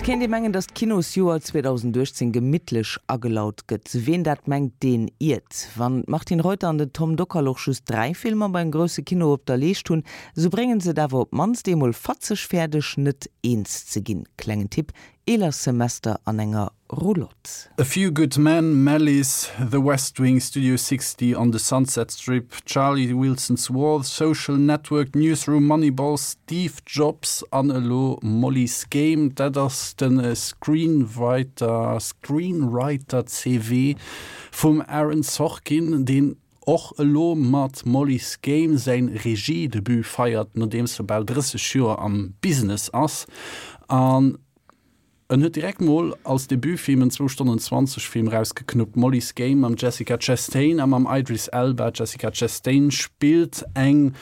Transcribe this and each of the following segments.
kéint ee mengen, datt d'Kinosjoer 2018 gemittlech agelaut gëtt. Ween dat mengt, deen iert. Wann d'Martine Reuter an den Tom Dockal och just 3 Filmer beim grousse Kino op der Leescht hunn, esou bréngen se et awer op d'mannst eemol fatzeg fäerdeg, net eens ze ginn. Klengen Tipp, Eeler Semester an enger Roulotte. A Few Good Men, Malice, The West Wing, Studio 60, On the Sunset Strip, Charlie Wilson's War, The Social Network, Newsroom, Moneyball, Steve Jobs an elo Molly's Game. Dat ass de Screenwriter, Screenwriter-CV vum Aaron Sorkin, deen och elo mat Molly's Game säin Regie-Debut feiert, nodeems e bal 30 Joer am Business ass. An En huet direkt mol als Debutfilm en zwou Stonnen 20 Film rausgeknuppt, Molly's Game mam Jessica Chastain a mam Idris Elba. D'Jessica Chastain spillt eng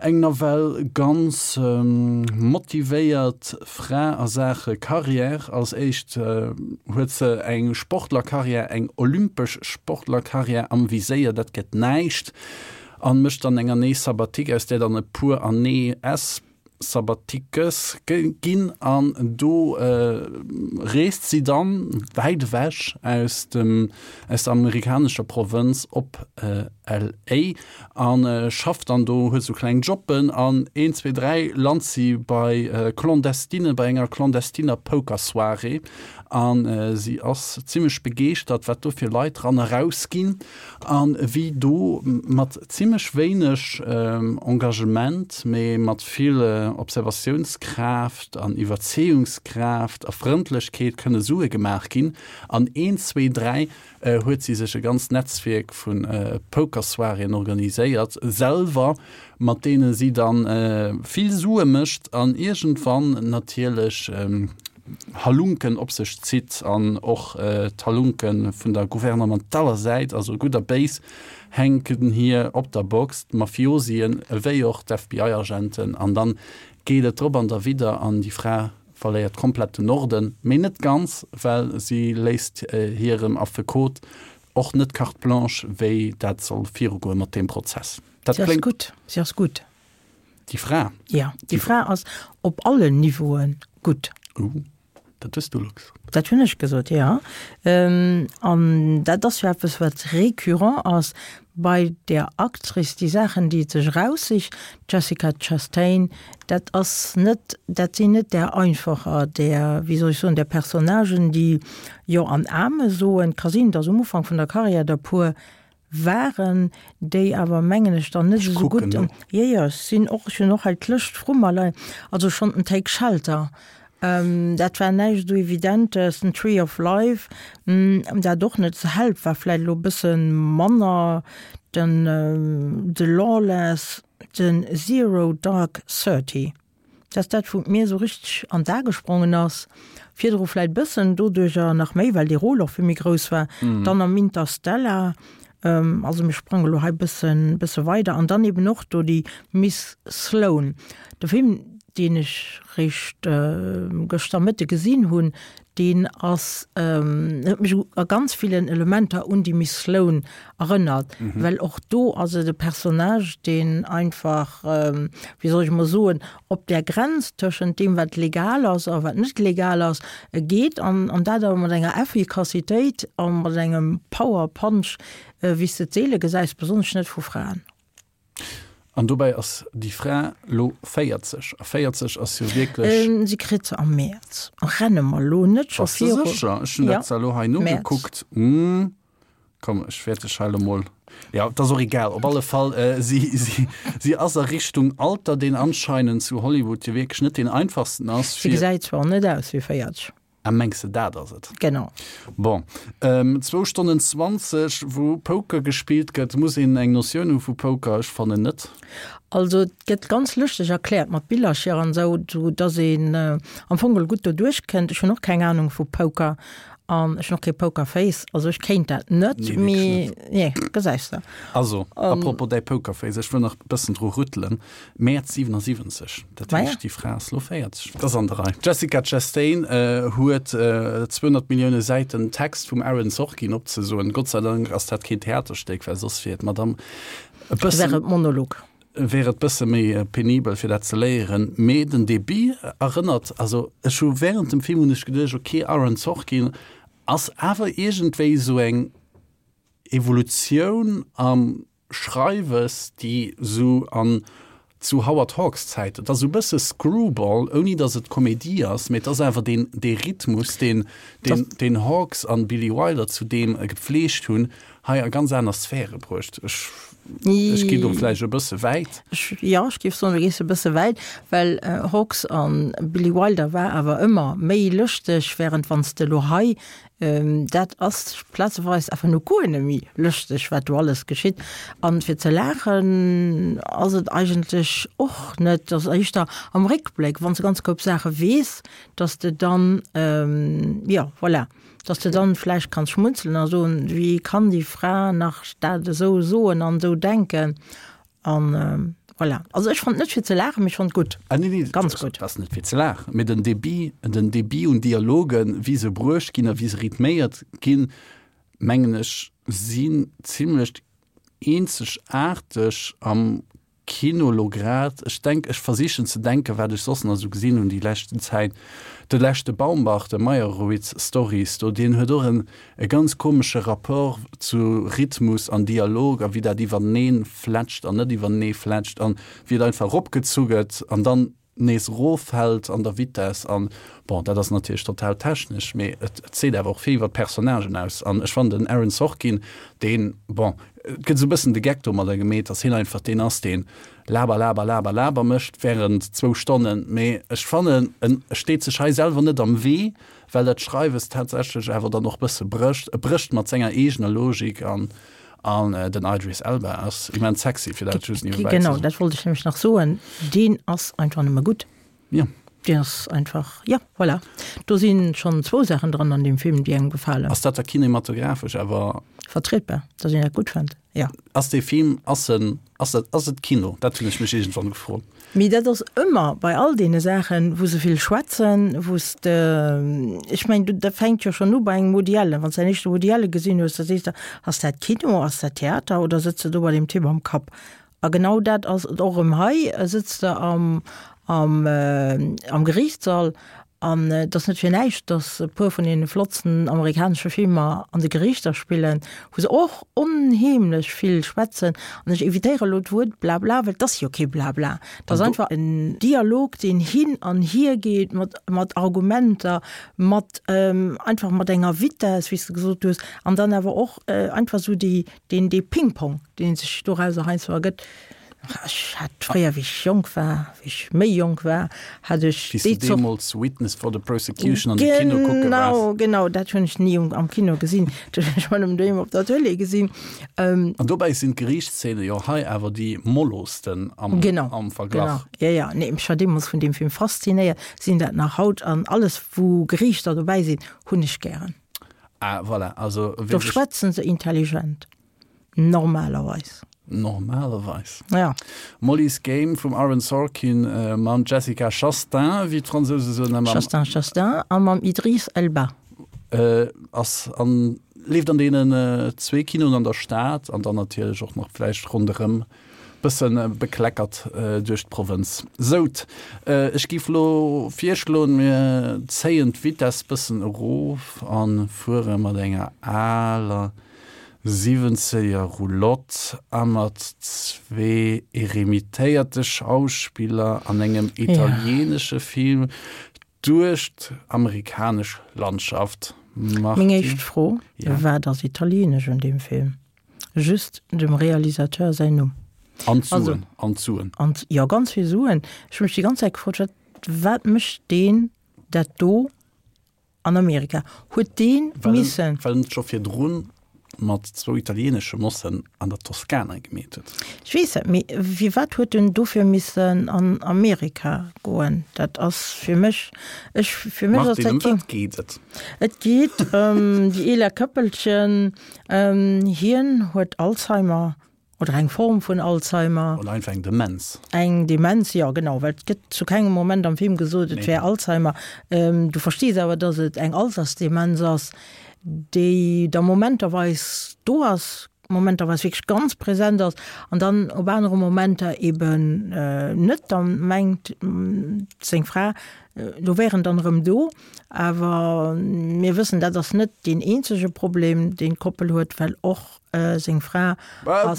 eng nawell ganz motivéiert Fra a Saache Karriär. Als éischt huet se eng Sportlerkarriär, eng olympesch Sportlerkarriär am Viséier, dat gëtt näischt, an mécht dann eng Année sabbatique, aus där dann e puer Années s. Sabbatiques ginn an do reest si dann wäit ewech aus dem aus der amerikanescher Provënz op LA a schafft dann do, huet sou kleng Jobben an een, zwee, dräi lant si bei Clandestine, bei enger clandestiner Pokersoirée a si ass zimmlech begeeschtert, wat do fir Leit ran a raus ginn. An wéi do mat zimlech wéineg Engagement, mee mat vill Observatiounskraaft an Iwwerzeeungskraaft a Frëndlechkeet kënne Sue gemaach ginn. An een, zwee, dräi huet si sech e ganzt Netzwierk vu Pokersoiréen organiséiert, selwer, mat deene si dann vill Sue mécht an iergendwann natierlech Halunken op sech zitt an och d'Halunke vun der gouvernementaler Säit, also gutt a béis, hänken hir op der Box, d'Mafiosien ewéi och d'FBI-Agenten an dann geet et drop an derwidder an déi Fra verléiert komplett den Norden, mee net ganz, well si léisst hirem Affekot och net Carte blanche, wéi dat soll virugoe mat deem Prozess. Dat Si ass kléngt. gutt, si ass gutt. Déi Fra? Ja, déi Fra ass op allen Niveaue gutt. Uh, dat hues du elo gesot. Dat hunn ech gesot, ja. An dat ass jo eppes, wat récurrent ass bei där Actrice, déi Saachen, déi et sech eraussicht, d'Jessica Chastain, dat ass net, dat sinn net där einfacher, där, wéi soll ech soen, där Personnagen, déi Jo an Ame soen. Et ka sinn, datt um Ufank vun der Karriär der puer waren, déi awer, mengen ech, dann net esou gutt. Jo, jo, ech sinn och, ech hunn och hei d'Lëscht vru mer leien. Also schonn den Take Shelter, dat war näischt esou Evidentes, den Tree of Life, dat och net. The Help war vläicht elo e bësse manner, den The Lawless, den Zero Dark 30. Dat ass dat, wou et mir esou richteg an d'A gesprongen ass. Virdru vläit bëssen, doduercher nach méi, well dee Rôle och vill méi grouss war. Dann am Interstellar, also mir sprange lo hei bëssen, bësse weider. An dann eben och do déi Miss Sloane. De Film, deen ech réischt gëschter Mëtte gesinn hunn, deen ass, huet mech a ganz villen Elementer un déi Miss Sloane erënnert, well och do ass et e Personnage, deen einfach, wéi soll ech emol soen, op där Grenz tëschent deem, wat legal ass a wat net legal ass, geet an dat awer mat enger Effikassitéit a mat engem Power Punch, wéi s de et seele gesäis, besonnesch net vu Fraen. An dobäi ass déi Fra lo 40, a 40 ass jo wierklech. Si kritt se am Mäerz. Renne mer lo net scho viru. Bass de sécher? Ech hunn dat zwar elo hei nogekuckt. Komm, ech wäert dech hei elo mol. Jo, et ass och egal. Op alle Fall, si, si, si ass a Richtung Alter, deen anscheinend zu Hollywood jo wierklech net deen einfachsten ass. Si gesäit zwar net aus wéi 40. Ah, mengs de dat ass et? Genau. Bon, zwou Stonnen 20, wou Poker gespillt gëtt. Muss een eng Notioun hu vu Poker? Ech fannen net. Also et gëtt ganz lëschteg erkläert mat Billercher an esou, sou dass een am Fong geholl gutt doduerch kënnt. Ech hunn och keng Anung vu Poker an ech hunn och kee Pokerface, also ech kéint dat net, Nee, wierklech mee net. nee, gesäis de. Also, à propos däi Pokerface, ech wëll nach e bëssen dru rüttelen. Mäerz 77, dat heescht déi Fra ass lo 40. Dat ass an der Rei. D'Jessica Chastain huet 200 Millioune Säiten Text vum Aaron Sorkin opzesoen. Gott sei Dank ass dat keen Theaterstéck, well soss wier d'Madame e bëssen. Wär et Monolog. Wär et bësse méi penibel fir dat ze léieren. Mee den Debit. erënnert, also ech hu während dem Film hunn ech geduecht, okay, Aaron Sorkin ass awer iergendwéi esou eng Evolutioun am Schreiwes, déi sou an zu Howard Hawks Zäiten, et ass esou e bësse Screwball, ouni datt et Komedie ass, mee et ass awer deen, dee Rhythmus, deen, deen, deen Hawks an Billy Wilder zu deem gepflegt hunn, hei a ganz aner Sphäre bruecht. Ech, ech ginn do vläicht e bësse wäit. Ech, jo, ech géif soen, du gees e bësse wäit, well Hawks an Billy Wilder war awer ëmmer méi lëschteg, während wann s de elo hei Dat ass plazeweis einfach no guer net méi lëschteg, wat do alles geschitt. An fir ze laachen ass et eigentlech och net. Et ass éischter am Réckbléck, wann s de ganz koup Saache weess, datt s de dann, jo, voilà, datt s de dann vläicht kanns schmunzelen a soen, wéi kann déi Fra nach dat esou soen an esou denken. An voilà. Also ech fand net fir ze laachen, mee ech fand gutt. Ah, nee, nee, Ganz gutt. Ass net fir ze laachen, mee den Débit, den Débit un Dialogen, wéi se bruecht ginn a wéi se rhythméiert ginn, mengen ech, sinn zimlech eenzegaarteg am Kino lo grad. Ech denk, ech versichen ze denken, wat ech soss nach esou gesinn hunn déi leschten Zäit. De leschte Baumbach, de Meyerowitz Stories do, deen huet och en e ganz komesche Rapport zu Rhythmus an Dialog a wéi dat iwwerneen fletscht an net iwwernee fletscht an wéi et einfach eropgezu gëtt an dann nees eroffält an der Vitess an, bon, dat ass natierlech total technesch, mee et seet awer och vill iwwer d'Personnagen aus an ech fannen den Aaron Sorkin, deen, bon, et gëtt esou e bëssen de Geck domadder gemeet, dass hien einfach deen ass, deen Laber, laber, laber, laber mécht während zwou Stonnen, mee ech fannen en steet sech hei selwer net am Wee, well dat Schreiwes tatsächlech awer dann och bësse brécht. E brécht mat senger eegener Logik an an den Idris Elba ass immens sexy, fir dat just niewebäi ze Genau, soen. dat wollt ech nämlech nach soen. Deen ass einfach nëmme gutt. Jo. Deen ass einfach, jo, voilà. Do si schonn zwou Saachen dran an deem Film, déi engem gefalen. Ass dat da kinematographesch awer. Vertrietbar, dass een dat gutt fënnt, jo. Ass dee Film, ass en, ass dat, ass et Kino? Dat hunn ech mech iergendwann gefrot. Mee dat ass ëmmer bei all deene Saachen, wou se vill schwätzen, wou s de, ech mengen, dat fänkt jo schonn u bei engem Woody Allen. Wann s de däin éischte Woody Allen gesinn hues, da sees de, ass dat Kino, ass dat Theater oder sëtz de do bei deem Typ am Kapp? A genau dat ass et och erëm hei, sëtz de am, am, am Geriichtssall An et ass net fir näischt, datt e puer vun deene flottsten amerikanesche Filmer an de Geriichter spillen, wou se och onheemlech vill schwätzen. An ech evitéiere elo d'Wuert Blabla, well et ass jo kee Blabla. Et ass einfach en Dialog, deen hin an hier geet mat, mat Argumenter, mat einfach mat enger Vitess, wéi s de gesot hues, an dann awer och einfach esou déi, deen, dee Ping-Pong, dee sech dorauser heiansdo ergëtt. Ech hat fréier, wéi ech jonk war, wéi ech méi jonk war, hat ech Wéi s du deemools Witness for the Prosecution an de Kino kucke waars. Genau, genau, dat hunn ech ni am Kino gesinn. Dat hunn ech ëmmer nëmmen doheem op der Tëlee gesinn. An dobäi sinn d'Geriichtszene jo hei awer déi mollosten am Verglach. Genau, jo, jo. Nee, ech war deemools vun deem Film faszinéiert, sinn dat nach haut. An alles, wou Geriichter dobäi sinn, hunn ech gären. Ah, voilà, also. Do schwätzen se intelligent. Normalerweis. Normalerweis. Ja. Molly's Game vum Aaron Sorkin mam Jessica Chastain, wéi d'Fransouse soen, a mam. Chastain, Chastain a mam Idris Elba. Ass an, leeft an deenen zwee Kinoen an der Stad an dann natierlech och nach vläicht ronderëm bësse bekleckert duerch d'Provënz. Sout, ech géif lo virschloen, mir zéien d'Vitess bëssen erof a fuere mat enger aler Siwwenzeger Roulotte a mat zwee eremitéierte Schauspiller an engem italienesche Film duerch d'amerikanesch Landschaft. Meng éischt Fro, Wat ass italienesch un deem Film? Just dem Realisateur säin Numm. An d'Suen. An d'Suen. An, jo, ganz vill Suen. Ech hu mech déi ganz Zäit gefrot, wat, wat mécht deen dat do An Amerika huet dee missen. Well en et scho virdrun mat zwou italienesche Mossen an der Toskana gemeet huet. Ech weess dat, mee firwat huet en dofir missen an Amerika goen? Dat ass fir mech, ech, fir mech ass dat keng. Martine, ëm wat geet et? Et geet ëm déi eeler Këppelchen. Hien huet Alzheimer. Oder eng Form vun Alzheimer. Oder einfach eng Demenz. Eng Demenz, jo genau, well et gëtt zu kengem Moment am Film gesot, et wär Alzheimer. Du verstees awer, datt et eng Altersdemenz ass, déi da momenterweis do ass. Momenter wierklech ganz präsent ass an dann op anere Momenter eben net. Da mengt seng Fra, do wär en dann erëm do. Awer mir wëssen, dat ass net deen eenzege Problem, deen d'Koppel huet, well och seng Fra ass.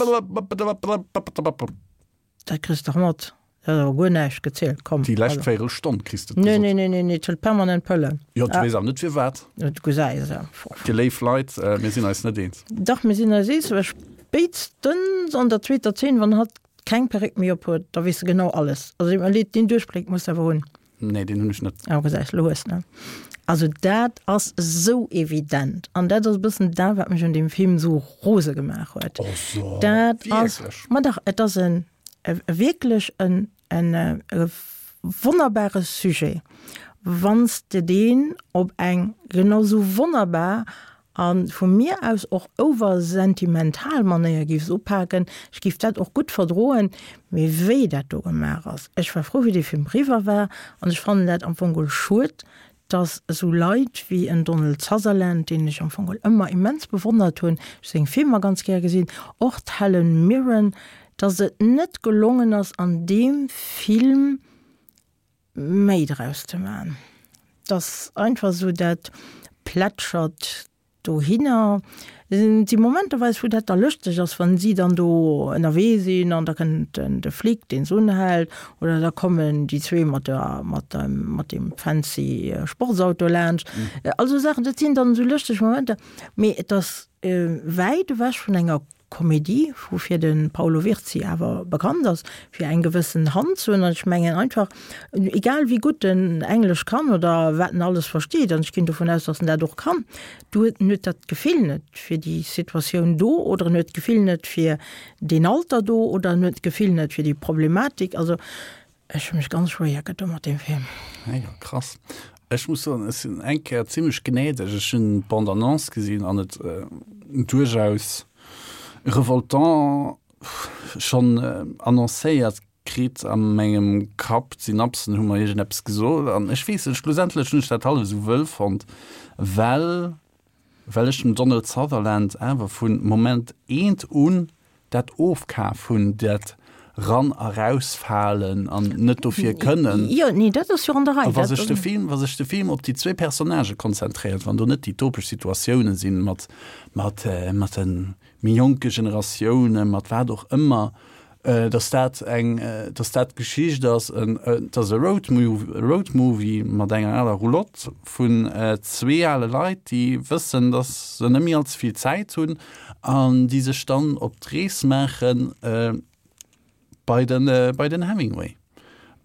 Dat kriss de dach mat. Dat ass awer guer näischt gezielt. Komm. Déi lescht Véirelstonn kriss de et gesot. Nee, nee, nee, nee, et hëlt permanent Pëllen. Jo, du weess awer net firwat. Du gesäis e. Dir léif Leit, mir sinn eis net eens. Dach, mir sinn eis eens, well spéitstens an der zweeter Zeen, wann hatt keng Perréck méi op huet, da weess de genau alles. Also, deet mer leed, deen Duerchbléck muss de awer hunn. Nee, deen hunn ech net. Ah, gesäis, lo hues de. Also dat ass esou evident. An dat ass e bëssen dat, wat mech un deem Film esou rose gemaach huet. Oh so, dat ass, ma dach, et ass en, e wierklech en, en e wonnerbare Sujet, wann s de deen op eng genau esou wonnerbar A vu mir aus och oversentimental Manéier giffs upaken, ech giff dat och gutt verdroen, mee wéi dat do gemaach ass, ech war frou wéi dee Film riwwer war an ech fannen dat am Fong geholl schued, dass esou Leit wéi en Donald Sutherland, deen ech am Fong geholl ëmmer immens bewonnert hunn, ech seng Filmer ganz gär gesinn, och d'Helen Mirren, dass et net gelongen ass an deem Film, méi draus ze man. Et ass einfach esou, dat plätschert dohinner. Et si momenterweis, wou dat da lëschteg ass, wann si dann do ënnerwee sinn an da kënnt de Flic, deen se unhält, oder da kommen déi zwee mat der, mat dem, mat deem fancy Sportsauto laanscht. All esou Saachen, dat sinn dann esou lëschteg Momenter, mee et ass wäit ewech vun enger Komedie, woufir de Paolo Virzi awer bekannt ass, fir eng gewëssen Hand ze hunn. An ech mengen einfach, egal wéi gutt en Englesch kann oder wat en alles versteet, an ech ginn dovun aus, datt en dat och kann, du huet, en huet dat Gefill net fir déi Situatioun do oder en huet d'Gefill net fir deen Alter do oder en huet d'Gefill net fir déi Problematik. Also Ech hu mech ganz schwéier gedo mat deem Film. Ah jo, krass. Ech muss soen, ech sinn eng Kéier zimlech gnädeg. Ech hunn d'Bande-annonce gesinn an et duerchaus revoltant schonn annoncéiert kritt a mengem Kapp. D'Synapsen hu mer iergendeppes gesot an ech weess net, schlussendlech hunn ech dat hallef esou wëll fonnt, well well ech dem Donald Sutherland awer vu Moment eent un dat ofkaf hunn, dat ran a rausfalen an net dofir kënnen. Jo, nee, dat ass jo an der Rei. A wa sech de Film, wa sech de Film op déi zwee Personnagë konzentréiert, wann do net déi topesch Situatiounen sinn mat, mat, mat de méi jonke Generatiounen, mat wat och ëmmer, dass dat eng, dass dat d'Geschicht ass, et ass e Roadmovie mat enger aler Roulotte vun zwee ale Leit, déi wëssen, dass se net méi all ze vill Zäit hunn an déi sech dann op d'Rees maache bei de bei den Hemingway.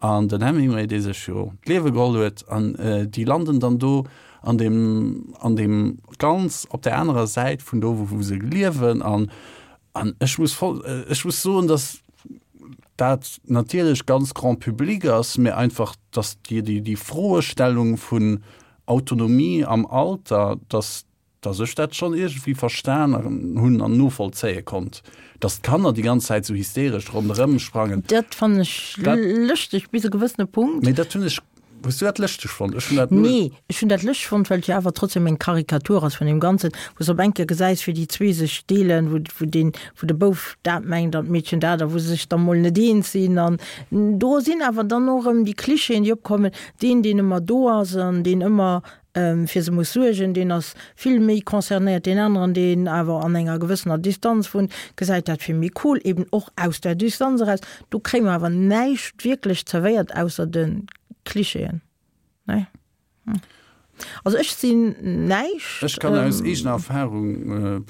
An den Hemingway, dee sech jo d'Liewe geholl huet, an déi landen dann do an deem an deem ganz op där anerer Säit vun do, wou se liewen an An ech muss voll, ech muss soen, dass dat natierlech ganz grand public ass, mä einfach, dass déi, déi, déi Froestellung vun Autonomie am Alter, dass, dass ech dat schonn iergendwéi verstan hunn an novollzéie konnt, dass d'Kanner déi ganz Zäit esou hysteresch ronderëm sprangen. Dat fannen ech lëschteg bis e gewëssene Punkt. Mee dat hunn ech Hues du dat lëschteg fonnt? Ech hunn dat null. Nee, ech hunn dat lëschteg fonnt, well et jo awer trotzdem eng Karikatur ass vun deem Ganzen, wou s de op eng Kéier gesäis, wéi déi zwee sech deelen, wou, wou deen, wou de Bouf dat mengt an d'Meedchen dat a wou se sech da mol net eens sinn. An do sinn awer dann och erëm déi Klischeeën, déi opkommen, deen, deen ëmmer do ass an deen ëmmer fir se muss suergen, deen ass vill méi concernéiert, deen aneren, deen awer an enger gewëssener Distanz wunnt, gesäit dat vill méi cool, eben och aus der Distanz eraus. Do kréie mer awer näischt wierklech zerwéiert ausser de Klischeeën, nee. Also ech sinn näischt. Ech kann aus eegener Erfahrung,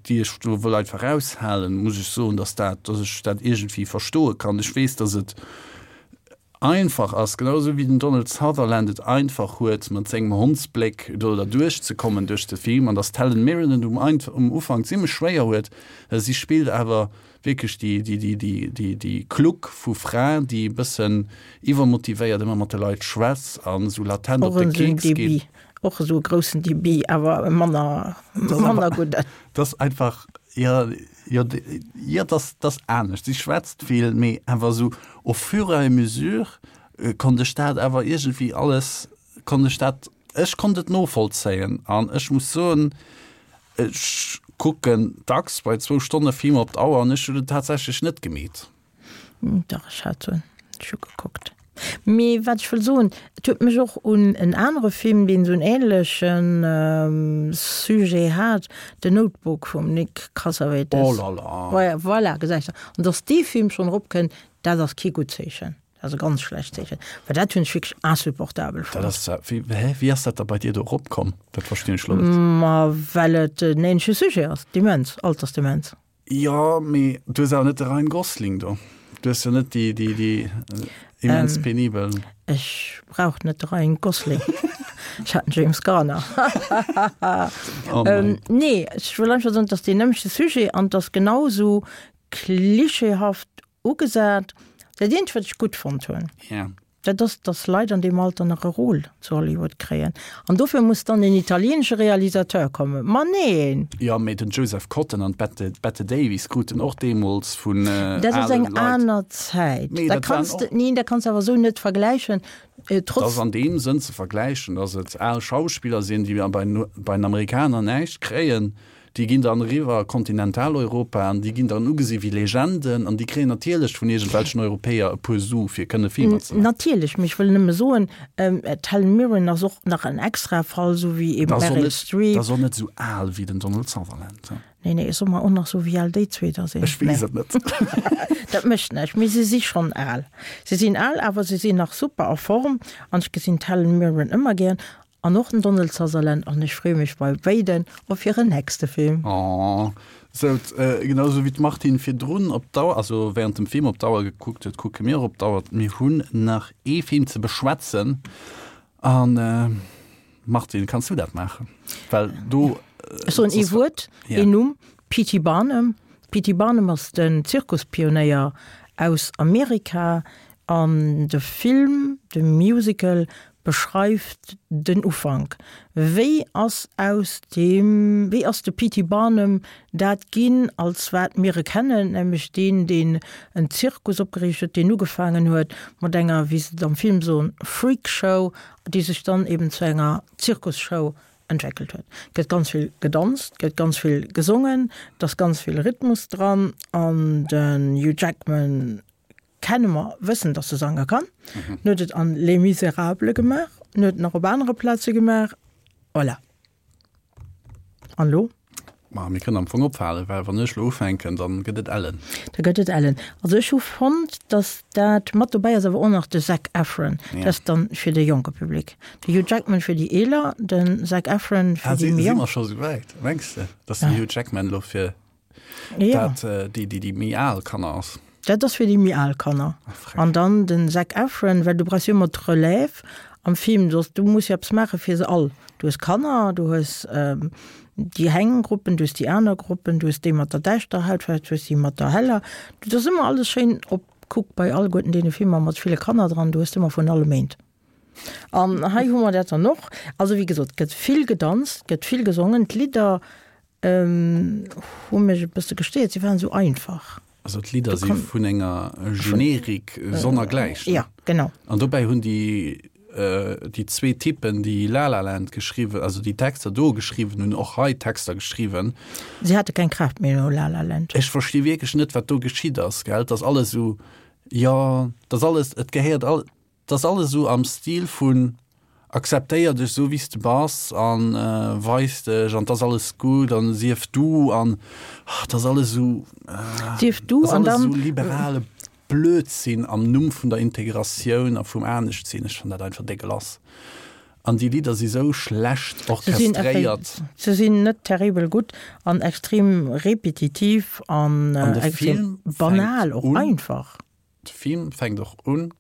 déi ech do wëll einfach raushalen, muss ech soen, dass dat, dass ech dat iergendwéi verstoe kann. Ech weess, dass et einfach ass, genau esou wéi den Donald Sutherland et einfach huet, mat sengem Hondsbléck do derduerch ze kommen duerch de Film, an dass d'Helen Mirren et um um Ufank zimmlech schwéier huet, si spillt awer wierklech déi, déi, déi, déi, déi, déi Kluck vu Fra, déi e bëssen iwwermotivéiert ëmmer mat de Leit schwätzt an esou latent op de Keks geet. Och esou e groussen Débit, awer e manner, manner gudden. Dat ass einfach, jo, jo, jo, dat ass anescht. Si schwätzt vill, mee awer esou au fur et à mesure konnt ech dat awer iergendwéi alles, konnt ech dat, ech konnt et novollzéien. An ech muss soen, ech. kucken dacks bei zwou Stonne Filmer op d'Auer an ech hunn et tatsächlech net gemeet. Dach, ech hat se, ech hu gekuckt. Mee wat ech wëll soen, et huet mech och un en anere Film, deen esou en ähnleche Sujet hat, The Notebook vum Nick Cassavetes. Oh là là! Voilà, gesäis de. An datt dee Film schonn eropkënnt, dat ass kee gutt Zeechen. Dat ass e ganz schlecht Zeechen, well dat hunn ech wierklech insupportabel fonnt. Dat ass, wéi, hä, wéi ass dat da bei dir do eropkomm? Dat verstinn ech elo net. Ma well et en ähnleche Sujet ass, Demenz, Altersdemenz. Jo, mee du hues awer net de Ryan Gosling do. Du hues jo net déi, déi, déi immens penibel. Ech brauch net de Ryan Gosling. Ech hat den James Garner. Oh mein. Nee, ech wëll einfach soen, et ass deen nämmlechte Sujet an et ass genau esou klischeehaft ugesat. Dat eenzegt, wat ech gutt fonnt hunn, Ja. dat ass, dass Leit an deem Alter nach e Rôle zu Hollywood kréien. An dofir muss dann en italienesche Realisateur kommen. Ma neen! Jo, mee den Joseph Cotten an d'Bette Bette Davis kruten och deemools vun Dat ass ale eng Leit. aner Zäit. Mee Dat dat waren kanns de, och. neen, dat kanns de awer esou net vergläichen. Dat Trotz. ass an deem Sënn ze vergläichen, dass et al Schauspiller sinn, déi bei bei den Amerikaner näischt kréien, Déi ginn dann eriwwer a Kontinentaleuropa an déi ginn dann ugesi wéi Legenden an déi kréien natierlech vun iergendwelchen Europäer e puer Su fir kënne Filmer ze maachen. Natierlech, mee ech wëll nëmme soen, d'Helen Mirren ass och nach en extrae Fall, esou wéi eben d'Meryl Streep. Dat ass och net esou al wéi den Donald Sutherland. Nee, nee, soe mer och nach esou wéi al déi zwee da sinn. Ech weess et net. Dat mécht näischt, mee se si schonn al. Se sinn al, awer se sinn nach super a Form an ech gesinn d'Helen Mirren ëmmer gären. An och den Donald Sutherland an ech freeë mech bei béiden op hiren nächste Film. Aww, sou genau sou wéi d'Martine virdrun op d'Auer, also während dem Film op d'Auer gekuckt huet, kucke mir och op d'Auer. Mir hunn nach ee Film ze beschwätzen an Martine, kanns du dat maachen? Well do. Ech soen ee Wuert, een Numm, P.T. Barnum. P.T. Barnum ass den Zirkuspionéier aus Amerika an de Film, de Musical beschreift den Ufank. Wéi ass aus deem, wéi ass de P.T. Barnum dat ginn, als wat mir e kennen, nämlech deen, deen en Zirkus opgeriicht huet, deen ugefaangen huet mat enger, wéi se et am Film soen, Freak-Show, déi sech dann eben zu enger Zirkusshow entwéckelt huet. Et gëtt ganz vill gedanzt, et gëtt ganz vill gesongen, et ass ganz vill Rhythmus dran an den Hugh Jackman Kenne mer, wëssen, dass e sange kann. En huet et an Les Misérables gemaach, en huet et nach op anere Plaze gemaach. Voilà. An elo? Ma mir kënnen am Fong ophalen, well wann ech elo ufänken, dann gëtt et ellen. Da gëtt et ellen. Also ech hu fonnt, dass dat mat dobäi ass, awer och nach de Zac Efron. Dat ass dann fir de jonke Public. De Hugh Jackman fir déi Eeler, den Zac Efron fir déi méi jonk. Si mer scho souwäit, mengs de, dass den Hugh Jackman elo fir Ja. Dat äh, déi, déi, déi méi al Kanner ass. Dat ass fir déi méi al Kanner. Ah, An dann den Zac Efron, well du brauchs jo ëmmer d'Relève am Film, soss du muss jo eppes maache fir se all. Du hues Kanner, du hues ähm, déi eng Gruppen, du hues déi aner Gruppen, du hues déi mat der däischterer Hautfaarf, du hues déi mat der heller. Dat ass ëmmer alles schéin op, kuck bei alleguerten deene Filmer mat ville Kanner dran, du hues ëmmer vun allem eent. An hei hu mer dat dann och. Also wéi gesot, et gëtt vill gedanzt, et gëtt vill gesongen, d'Lidder Hu mech e bësse gestéiert, si waren esou einfach. Also d'Lidder si vun enger Generik sonnergläichen. Ja, genau. An dobäi hunn déi déi zwee Typen, déi La La Land geschriwwen, also déi Texter do geschriwwen hunn, och hei Texter geschriwwen. Si hate keng Kraaft méi no La La Land. Ech versti wierklech net, wat do geschitt ass, gell? Et ass alles esou, jo, et ass alles, et gehéiert all. 't ass alles esou am Stil vun akzeptéier dech esou wéi s de bass an weis dech an 't ass alles gutt an sief du an 't ass alles esou, Sief du ass an alles dann. esou liberale Blödsinn am Numm vun der Integratioun a vum Aneschtsinn. Ech fannen dat einfach dégueulasse an déi Lidder si sou schlecht Se sinn orchestréiert. Se sinn net terribel gutt an extrem repetitiv an An de extrem Film fänkt banal och un. einfach. De Film fänkt och un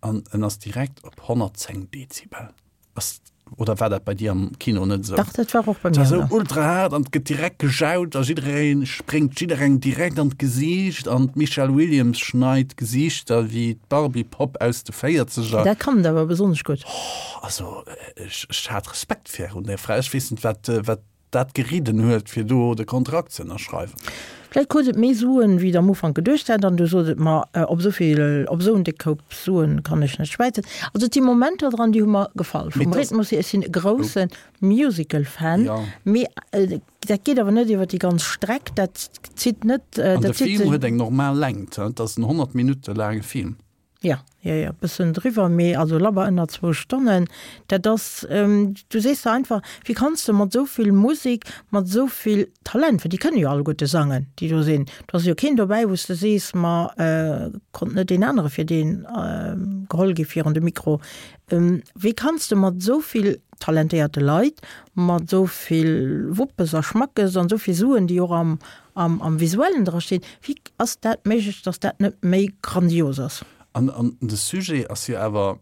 an en ass direkt op 110 Dezibel. Ass, oder war dat bei dir am Kino net esou? Dach, dat war och bei Et mir war esou esou. ultra haart an et gëtt direkt gejaut a jidderee spréngt jidderengem direkt an d'Gesiicht an d'Michelle Williams schneit Gesiichter wéi d'Barbie-Popp aus de Véierzeger. Dat kann et awer besonnesch gutt. Oh, also ech, ech hat Respekt virun där Fra. Ech weess net, wat, wat. dat geridden huet, fir do de Kontrakt ze ënnerschreiwen. Vläicht krut et méi Suen, wéi et am Ufank geduecht hat, an du sot et, Ma op esou vill, op esou en déck Koup Suen kann ech net schwäizen. Also et si Momenter dran, déi hu mer gefall. Vum Rhythmus hier, ech sinn e grousse Musical-Fan, mee dat geet awer net iwwer déi ganz Streck, dat zitt net, dat zitt sech. An de Film huet eng normal Längt, et ass en 100 Minutte laange Film. Jo, jo, jo, bëssen driwwer, mee also labber ënner zwou Stonnen. Dat ass, du sees der einfach, wéi kanns de mat esou vill Musek, mat esou vill Talent, well déi kënne jo alleguerte sangen, déi do sinn, do ass jo keen dobäi, wou s de sees, ma konnt net deen anere fir deen geholl gi virun de Mikro. Wéi kanns de mat esou vill talentéierte Leit, mat esou vill Wuppes a Schmackes an esou vill Suen, déi och am Am, am Visuellen dra steet, wéi ass dat méiglech, dass dat net méi grandios ass? An, an de Sujet ass jo awer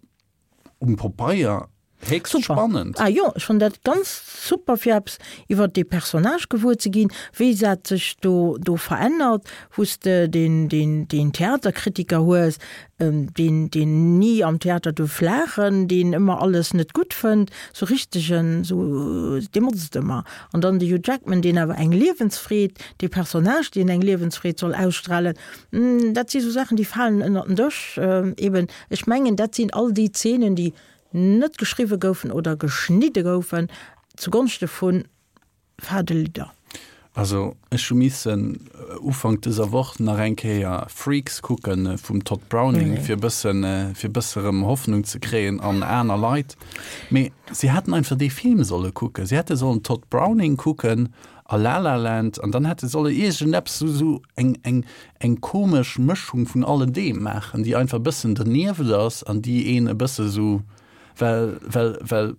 um Popeier héchst Super. spannend. Ah jo, ech fannen dat ganz super fir eppes iwwert dee Personnage gewuer ze ginn, wéi dat sech do, do verännert, wou s de deen, deen, deen Theaterkritiker hues, deen deen ni am Theater duerf laachen, deen ëmmer alles net gutt fënnt, sou richtegen, sou dee motzt ëmmer. An dann de Hugh Jackman, deen awer eng Liewensfreed, dee Personnage, deen eng Liewensfreed soll ausstrahlen, dat si sou Saachen, déi falen ënnert den Dësch. Eben, ech mengen, dat sinn all déi Zeenen, déi net geschriwwe goufen oder geschnidde goufen zugonschte vun Fade Lidder. Also ech hu missen Ufank dëser Woch nach eng Kéier Freaks kucken vum Tod Browning, fir e bëssen, fir e bësse rëm Hoffnung ze kréien an aner Leit. Mee si hätten einfach dee Film solle kucken. Si hätte sollen Tod Browning kucken a La La Land an dann hätte solle iergendeppes esou esou eng eng eng komesch Mëschung vun alledeem maachen, déi einfach e bëssen dernieft ass an déi een e bësse esou, well well well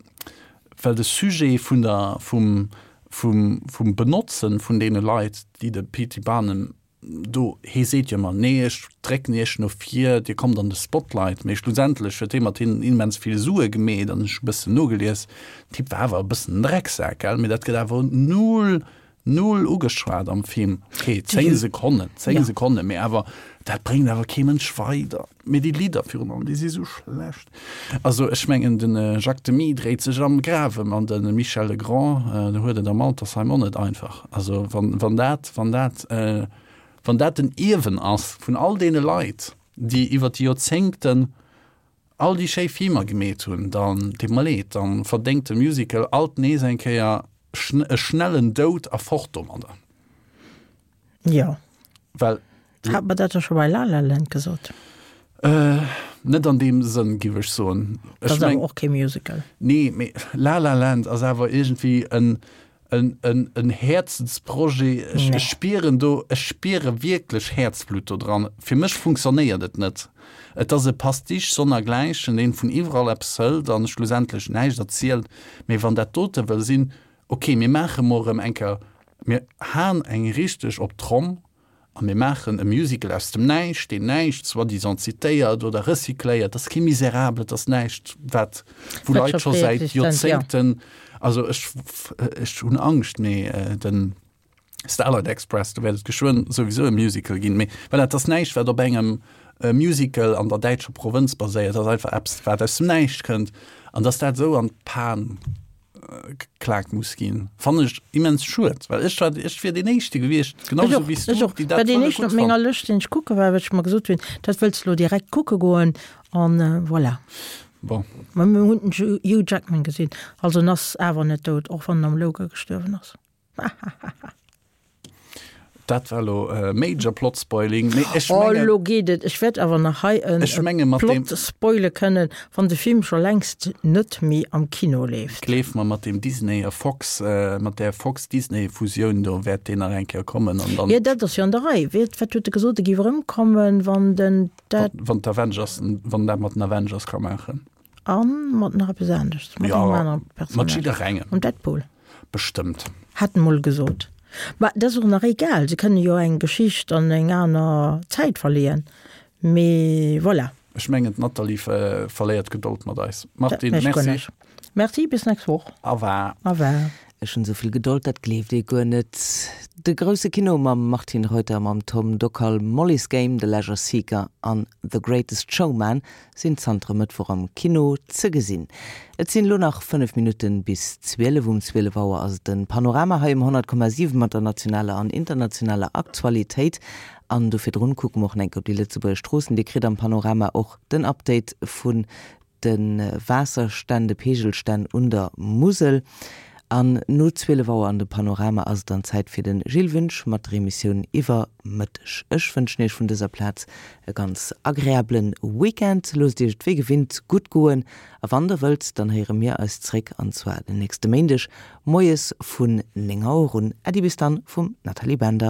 well de Sujet vun der, vum, vum, vum Benotzen vun deene Leit, déi de P. T. Barnum do, hee seet jo ëmmer, nee ech drécken iech no vir, dir kommt an de Spotlight, mee schlussendlech huet hee mat hinnen immens vill Sue gemeet an ech hu bëssen nogelies, den Typ war awer e bëssen en Drecksak, gell, mee dat gëtt awer null Null ugeschwat am Film. Ok, 10 Sekonnen, 10 Sekonnen, mee awer dat bréngt awer kee Mënsch weider. Mee déi Lidder virun allem, déi si sou schlecht. Also ech mengen den Jacques Demy dréit sech am Graf ëm an de Michel Legrand, do huet et am Altersheim och net einfach. Also wann, wann dat, wann dat, wann dat den Ierwen ass vun all deene Leit, déi iwwer déi Joerzéngten all déi schéi Filmer gemeet hunn, dann deet mer leed, dann verdéngt de Musical alt nees eng Kéier e schnellen Doud a fort domadder. Jo. Well. Hat mer dat da scho bei La La Land gesot? Net an deem Sënn, giff ech soen. Dat ass awer och kee Musical. Nee, mee La La Land ass awer iergendwéi en, en, en, en Häerzensprojet. Ech, ech spieren do, ech spiere wierklech Häerzblutt do dran. Fir mech funktionéiert et net. Et ass e Pastiche sonnergläichen, deen vun iwwerall eppes hëlt an schlussendlech näischt erzielt. Mee wann dat dote wëll sinn, ok, mir maache mol erëm eng Kéier, mir haen eng richteg op d'Tromm, A mir maachen e Musical aus dem Näischt, deen näischt soi-disant zitéiert oder recycléiert. Dat ass kee Miserable, dat ass näischt, wat, wou Leit scho säit Joerzéngten, also ech, ech hunn Angscht, mee den Starlight Express, do wäert et geschwënn souwisou e Musical ginn. Mee voilà, et ass näischt, wat op engem Musical an der däitscher Provënz baséiert, et ass einfach eppes, wat aus dem Näischt kënnt. An datt dat esou an d'Pan geklaakt muss ginn, fannen ech immens schued, well ech war, ech wier deen éischte gewiescht, genau Ech esou och, wéi s ech du, och. déi War dat deen wëlle éischten gutt op menger fannen. Lëscht, deen ech kucke war, well ech mer gesot hunn, dat wëlls de lo direkt kucke goen an voilà. Bon. Mä mir hunn den Hugh Jackman gesinn, also en ass awer net dout, och wann en am Logan gestuerwen ass. Hahahaha. Dat war lo major plot spoiling, mee ech Oh, mengen. lo geet et. Ech wäert awer nach hei en Ech menge mat deem. Plot spoile kënnen, wann de Film scho längst net méi am Kino leeft. Gleef mer, mat deem Disney a Fox, mat där Fox-Disney-Fusioun do wäert deen nach eng Kéier kommen an dann. Jo, dat ass jo an der Rei. Wat, wat huet e gesot? E géif erëmkommen, wann den dat. Wann d'Avengers, wann dat mat den Avengers ka maachen. A mat nach eppes aneschts, mat Ja, engem anere mat Personnage. jidderengem. Mam Deadpool. Bestëmmt. Hat en mol gesot. Mä dat ass och nach egal, se kënne jo eng Geschicht an eng aner Zäit verleeën. Mee voilà. Ech mengen d'Nathalie verléiert d'Gedold mat eis. Dat Martine, mécht guer merci. näischt. Merci, bis nächst Woch. Au revoir. Au revoir. Ech hunn esou vill Gedold, dat gleeft ee guer net. De grousse Kino mam Martine Reuter, mam Tom Dockal, Molly's Game, The Leisure Seeker an The Greatest Showman sinn zanter e Mëttwoch am Kino ze gesinn. Et sinn elo nach 5 Minutten bis 12. Um 12 Auer ass et den Panorama hei um 100,7 mat der nationaler an internationaler Aktualitéit. An do virdrun kucke mer och nach eng Kéier op déi lëtzebuerger Stroossen. Dir kritt am Panorama och den Update vun de Waasserstänn, de Peegelstänn un der Musel. An no 12 Auer an de Panorama ass et dann Zäit fir de Gilles Wünsch mat der Emissioun Iwwer Mëtteg. Ech wënschen Iech vun dëser Plaz e ganz agreablen Weekend. Loosst Iech et wéi gewinnt gutt goen a wann der wëllt, dann héiere mir eis zréck an zwar den nächste Méindeg moies vun 9 Auer un. Äddi bis dann vum Nathalie Bender.